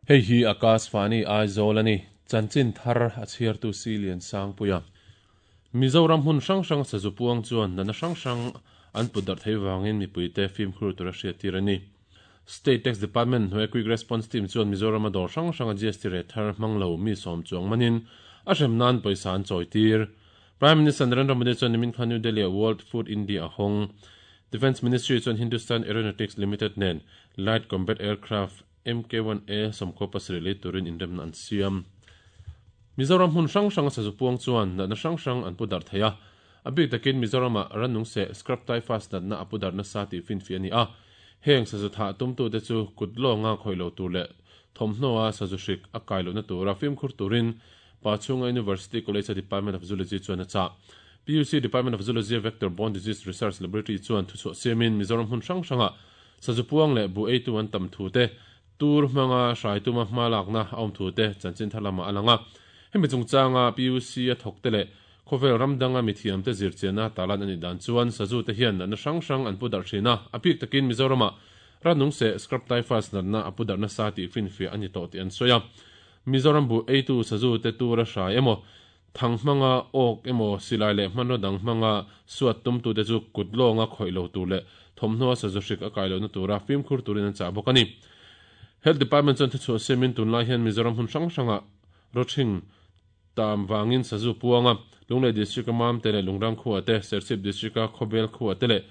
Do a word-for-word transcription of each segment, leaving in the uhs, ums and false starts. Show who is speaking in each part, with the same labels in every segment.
Speaker 1: Hei hi Akashvani Aizawl ani chanchin thar a chhiartu Silian Sangpuia Mizoram hun hrang hrang sazu puang chuan nana hrang hrang an put darh thei wangin mipuite fimkhur tur a hriat tir ani. State Tax Department hnuai Quick Response Team chuan Mizoram a dawr hrang hrang a G S T re thar hmanglo mi sawm chuang manin a hrem nan pawisa an chawi tir. Prime Minister Narendra Modi chuan nimin khan New Delhi a World Food India a hawng. Defence Ministry chuan Hindustan Aeronautics Limited nen Light Combat Aircraft M K one A sawmkhaw pasarih lei turin inremna an siam. Mizoram hun hrang hrang a sazu puang chuan natna hrang hrang an pu darh thei a. A bik takin Mizoram a rannung se scrub typhus natna a pu darhna sa tih finfi ani a. Heng sazu tha tumtu te chu kut lawnga khawih lo tur leh thawmhnaw a sazu hrik a kai lohna tura fimkhur turin Pachhunga University College Department of Zoology chuan a chah. P U C Department of Zoology Vector Borne Disease Research Laboratory chuan thuchhuah siamin Mizoram hun hrang hranga sazu puang leh bu eitu an tam thu te tur hmanga hrai tuma hma lakna a awm thu te chanchin thar lama a lang a. Hemi chungchanga P U C a thawk te leh khawvel ramdanga mithiam te zirchiana talan ani dan chuan sazu te hian natna hrang hrang an pu darh thin a. A pik takin Mizorama rannung se scrub typhus natna a pu darhna sa tih finfi ani tawh tih an sawi a. Mizoram bu eitu sazu te tura hrai emaw thang hmanga awk emaw silai leh hmanraw dang hmanga suat tumtu te chu kut lawnga khawih lo tur leh thawmhnaw a sazu hrik a kai lohna tura fimkhur turin an chah bawk ani. Health Department chuan thuchhuah siamin tunlai hian Mizoram hun hrang hranga rawthing tam wangin sazu puanga Lunglei District a mam te leh Lungrang khuwa te Serchhip District a Khawbel khuwa te leh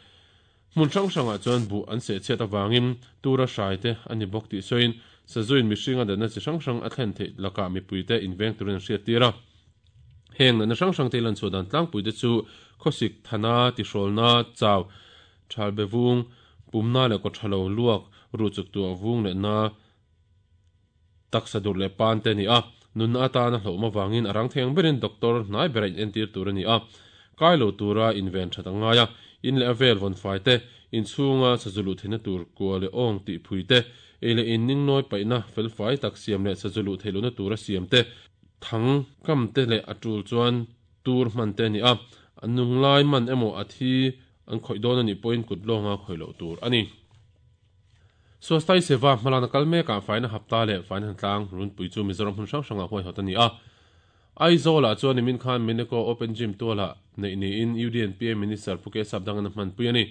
Speaker 1: hmun hrang hrangah chuan bu an seh chhiat awangin tura hrai te ani bawk tih sawiin sazuin mihringa danna chi hrang hrang a thlen theih lakah mipui te inveng turin an hriat tir a. Heng natna hrang hrang te lan chhuah dan tlangpui te chu khawsik thana tihrawlna chau thalbe vung pumna leh kawthalo luak ru chuk tuah vung leh na taksa dur leh pan te ani a. Nunna atana hlawhma wangin a rang theng berin doctor hnai bera in entir tur ani a. Kai lo tura inven that angai a. In leh a vel vawn fai te inchhunga sazulu theihna tur kua leh awng tih phui te ei leh in ning nawi paihna fel fai tak siam leh sazulu theihlohna tura siam te thang kam te leh a tul chuan tur hman te ani a. An nunglai man emaw a thi an khawih dawn ani pawhin kut lawnga khawih loh tur ani. Swasthai Seva hmalakna kal mekah faina hapta leh faina tlang runpui chu Mizoram hun hrang hrangah huai hawt ani a. Aizawl ah chuan nimin khan Mineko Open Gym tuala nei niin U D N P A Minister Pu K Sapdang an hman pui ani.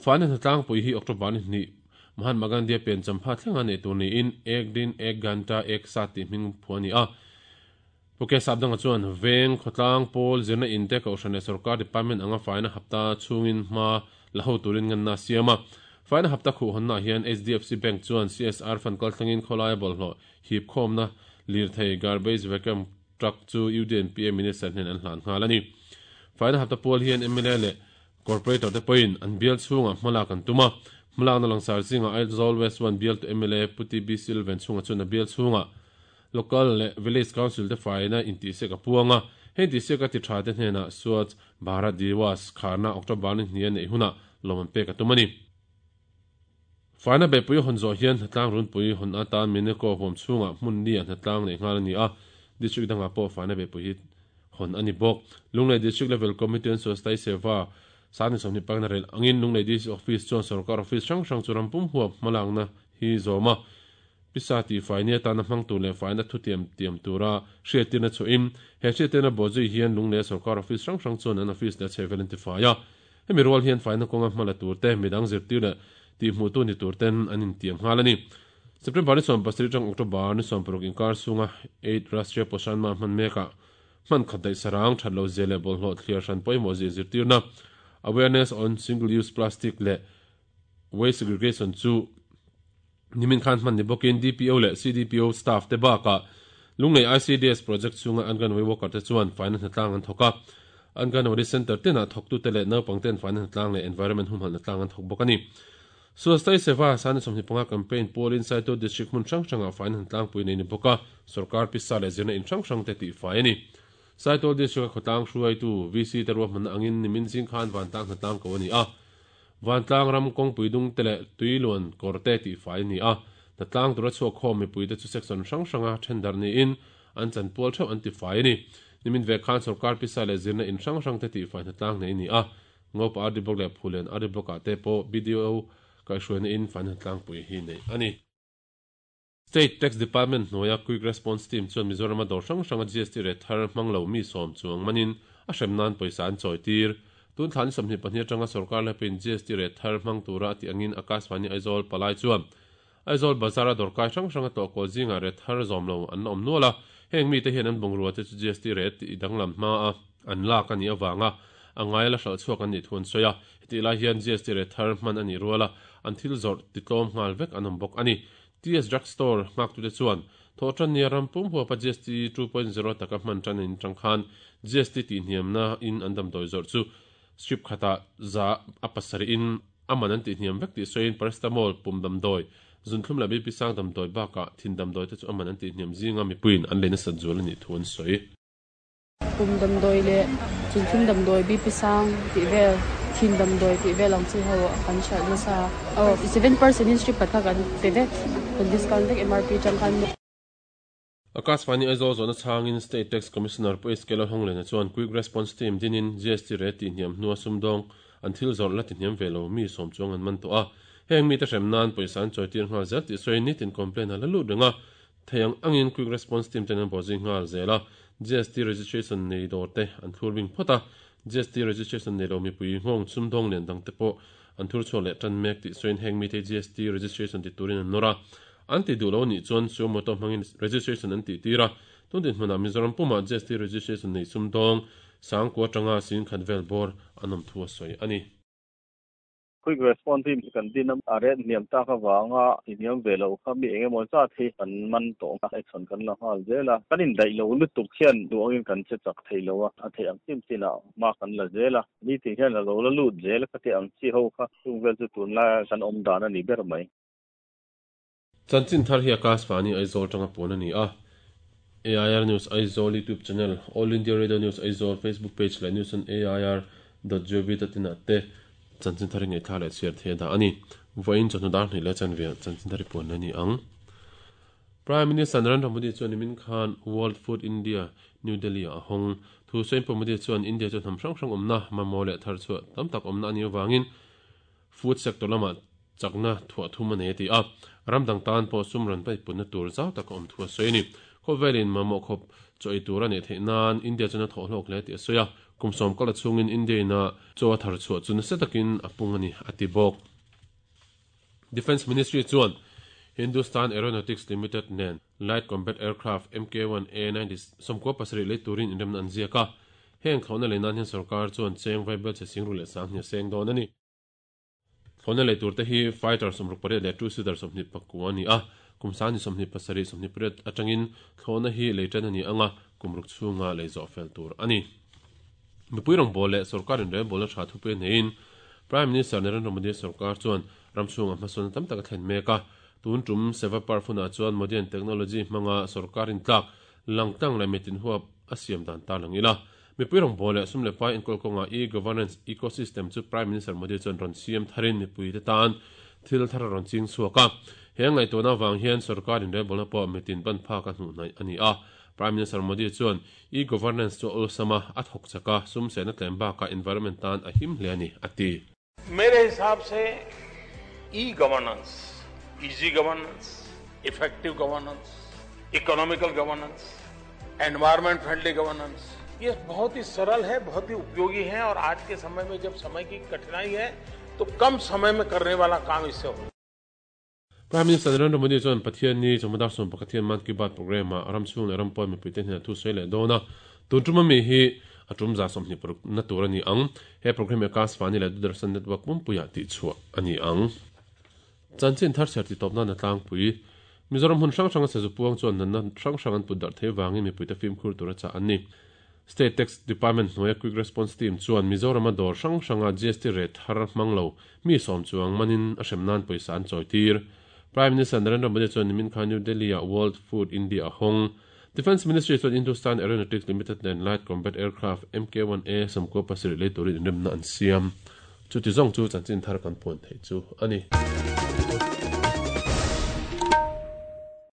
Speaker 1: Faina tlangpui hi October ni hnih Mahatma Gandhi a pian champha thlenga nei tur niin ek din ek ganta ek sat tih hming phu ani a. Pu K Sapdanga chuan veng khawtlang pawl zirna in te kohhran leh sarkar department anga faina hapta chungin hma la ho turin nganna siam a. Faina hapta khuh honna hian H D F C Bank chuan C S R fund kal thlengin khawlai a bawlhhlawh hip khawmna lir thei garbage vacuum truck chu U D N P A Minister hnen an hlan nghal ani. Faina hapta pawl hian M L A leh corporator te pawhin an bial chhunga hmalak an tum a. Hmalakna langsar zinga Aizawl West one bial to M L A Puti B Silven chhunga chuan a bial chhunga local leh village council te faina intihsiak a puanga. Heng tihsiak a ti tha te hnenah Swachh Bharat Diwas kharna October ni hnih a neih hunah lawm an pek a tum ani. Faina beipui hawn zawh hian hnatlang runpui hawn atan Mineko huam chhunga hmun ni a hnatlang nei nghal ani a. District dangah pawh faina beipui hi hawn ani bawk. Lunglei District Level Committee on Swasthai Seva sani sawmhnih pakna rel angin Lunglei D C Office chuan sarkar office hrang hrang chu rampum huap hmalakna hi zawm a. Pisa tih faini atana hmang tur leh faina thu tiam tiam tura hriattirna chuin he hriattirna bawhzui hian Lunglei sarkar office hrang hrang chuan an office leh a chhehvel an ti fai a. Hemi rual hian faina kawnga hmala tur te midang zirtir leh tih hmuh tu ni tur ten an intiam nghal ani. September ni sawm pasarih tang October ni sawm paruk inkar chhunga eight Rashtriya Poshan Ma hman mekah hman khat daih sarang that lo zia leh bawlhhlawh thliar hran pawimawh zia zirtirna awareness on single use plastic leh waste segregation chu nimin khan hman ni bawkin D P O leh C D P O staff te bakah Lunglei I C D S project chhunga Anganwadi worker te chuan faina hnatlang an thawk a. Anganwadi center tenah thawktu te leh naupang ten faina hnatlang leh environment humhalh hnatlang an thawk bawk ani. Swasthai Seva sani sawmhnih panga campaign pawlin Saitual District hmun hrang hrangah faina hnatlang pui nei ni bawk a. Sarkar pisa leh zirna in hrang hrang te tih fai ani. Saitual District a khawtlang hruaitu V C te ruahmanna angin nimin zing khan vantlang hnatlang ko ani a. Vantlang ram kawngpui dung te leh tuiluan kawr te tih fai ani a. Hnatlang tura chhuak khawm mipui te chu section hrang hranga thendar niin an chanpual theuh an ti fai ani. Nimin ve khan sarkar pisa leh zirna in hrang hrang te tih fai hnatlang nei ani a. Ngopa R D Block leh Phulen R D Block ah te pawh B D O kaihhruaina in faina tlangpui hi nei ani. State Tax Department hnuaia Quick Response Team chuan Mizorama dawr hrang hranga G S T rate thar hmang lo mi sawm chuang manin a hrem nan pawisa an chawi tir. Tun thla ni sawmhnih pahnih atanga sorkar laipin G S T rate thar hmang tura a tih angin Akashvani Aizawl palai chuan Aizawl bazara dawrkai hrang hranga tlawh kual zingah rate thar zawm lo an la awm nual a. Heng mite hian an bungrua te chu G S T rate tih danglam hma a an lak a nih avanga a ngai la hralh chhuak an nih thu an sawi a. Hetih lai hian G S T rate thar hman a nih rual a an thil zawrh titlawm nghal vek an awm bawk a ni. T S Drug Store nghaktute chuan thawhtanni a rampum huapa G S T two point zero taka hman tan in tang khan G S T tih hniamna in an damdawi zawrh chu strip khata za a pasarih in aman an tih hniam vek tih sawiin, paracetamol, pum damdawi, zunthlum leh B P sang damdawi bakah thin damdawi te chu aman an tih hniam zinga mipuiin an leina sat zual ani thu an sawi.
Speaker 2: Pum damdawi leh zunthlum damdawi, B P sang tih vel, thin damdawi tih vel ang chi ho kan hralh nasa. Oh, seven percent in strip khat kha kan pe vek, kan discount vek M R P tang khan.
Speaker 1: Akashvani Aizawl zawhna chhangin State Tax Commissioner Pu S K Lalhawnglena chuan Quick Response Team dinin G S T rate tih hniam hnua sumdawng an thil zawrh la ti hniam ve lo mi sawm chuang an man tawh a. Heng mi te hrem nan pawisa an chawi tir nghal zel tih sawiin, nitin complaint a la lut renga theiang angin Quick Response Team ten an bawhzui nghal zel a. G S T registration nei dawr te an thlur bing phawt a, G S T registration nei lo mipui nghawng sumdawng lian dang te pawh an thur chhuah leh tan mek tih sawiin, heng mi te G S T registration ti turin an nawr a, an ti duh lo nih chuan suo moto hmangin registration an tih tir a. Tun din hmunah Mizoram puma G S T registration nei sumdawng sangkua tanga sing khat vel bawr an awm thu a sawi ani.
Speaker 3: Quick response team kan din a, rate hniam tak awanga hniam ve lo kha mi engemaw zat hi kan man tawh a, action kan la nghal zel a. Kan in daih lo lutuk hian duangin kan che chak thei lo a, a thei ang chin chin a ma kan la zel a. Ni ti hian a lo la lut zel ka ti ang chi ho kha chung vel chu tun lai kan awm dan ani ber mai.
Speaker 1: Chanchin thar hi Akashvani Aizawl tanga puan ani a. A I R News Aizawl YouTube channel, All India Radio News Aizawl Facebook page leh news on A I R dot gov dot in te chanchin thar ngei thla leh chhiar the da ani. Voin chawhnu dar hnih leh chanve chanchin thar puan ani ang. Prime Minister Narendra Modi chuan nimin khan World Food India, New Delhi a hawng. Thu sawiin Pu Modi chuan India chu hnam hrang hrang awmna, mamawh leh thar chhuah tam tak awmna ani awangin food sector lama chakna thuah thum ani ti a. Ramdang tan pawh sum ran pai punna tur zau tak awm thu a sawi ni. Khawvelin mamawh khawp chaw ei tur ani theih nan India chuan a thawh hlawk hle ti a sawi a. Kum sawm kala chungin India na chaw a thar chhuah chu nasa takin a pung ani a ti bawk. Defence Ministry chuan Hindustan Aeronautics Limited nen Light Combat Aircraft M K one A ninety sawmkua pasarih lei turin inremna an ziak a. Heng thlawhna lei nan hian sarkar chuan cheng vaibel che sing ru leh sang hnih a seng dawn ani. Thlawhna lei tur te hi fighter sawmruk pariat leh two seater sawmhnih pakua ani a. Kum sangni sawmhnih pasarih sawmhnih pariat atangin thlawhna hi lei tan ani anga, kum ruk chhunga lei zawh fel tur ani. Mipui rawng bawl leh sarkarin relbawlna tha thu pe neiin Prime Minister Narendra Modi sarkar chuan ram chhunga hmasawn tam tak a thlen mek a. Tun tum Seva Parv hunah chuan modern technology hmanga sarkarin tlak langtlang leh mitin huap a siam dan ta lang ila. Mipui rawng bawl leh sum leh pai enkawl kawnga e-governance ecosystem chu Prime Minister Modi chuan rawn siam tharin mipui te tan thil thar rawn ching chhuak a. He ngaihtuahna avang hian sarkarin relbawlna pawh mitin ban phak a hnuh hnaih ani a. Prime Minister Modi chuan e-governance chu awlsama a thawk chaka, sum sena tlem baka environment tan a him hle ani a ti.
Speaker 4: मेरे हिसाब से e governance, easy governance, effective governance, economical governance, environment friendly governance, ये बहुत ही सरल है, बहुत ही उपयोगी है और आज के समय में जब समय की कठिनाई है तो कम समय में करने वाला काम इससे हो
Speaker 1: Prime Minister Narendra Modi chuan Pathian ni chawhma dar sawm pakhat hian Mann Ki Baat program a ram chhung leh ram pawn mipui te hnenah thu sawi leh dawn a. Tun tuma mi hi a tum za sawmhnih paruk na tur ani ang. He program e Akashvani leh Doordarshan network pumpuiah tih chhuah ani ang. Chanchin thar chhiar ti tawpna na tlangpui. Mizoram hun hrang hrang a sazu puang chuan natna hrang hrang an put darh thei wangin mipui te fimkhur tur a chah an ni. State Tax Department hnuaia Quick Response Team chuan Mizorama dawr hrang hranga G S T rate thar hmang lo mi sawm chuang manin a hrem nan pawisa an chawi tir. Prime Minister Narendra Modi chuan nimin khan New Delhi a World Food India a hawng. Defence Ministry chuan Hindustan Aeronautics Limited nen Light Combat Aircraft M K one A sawmkua pasarih lei turin inremna an siam. Chu ti zawng chu chanchin thar kan puan thei chu ani.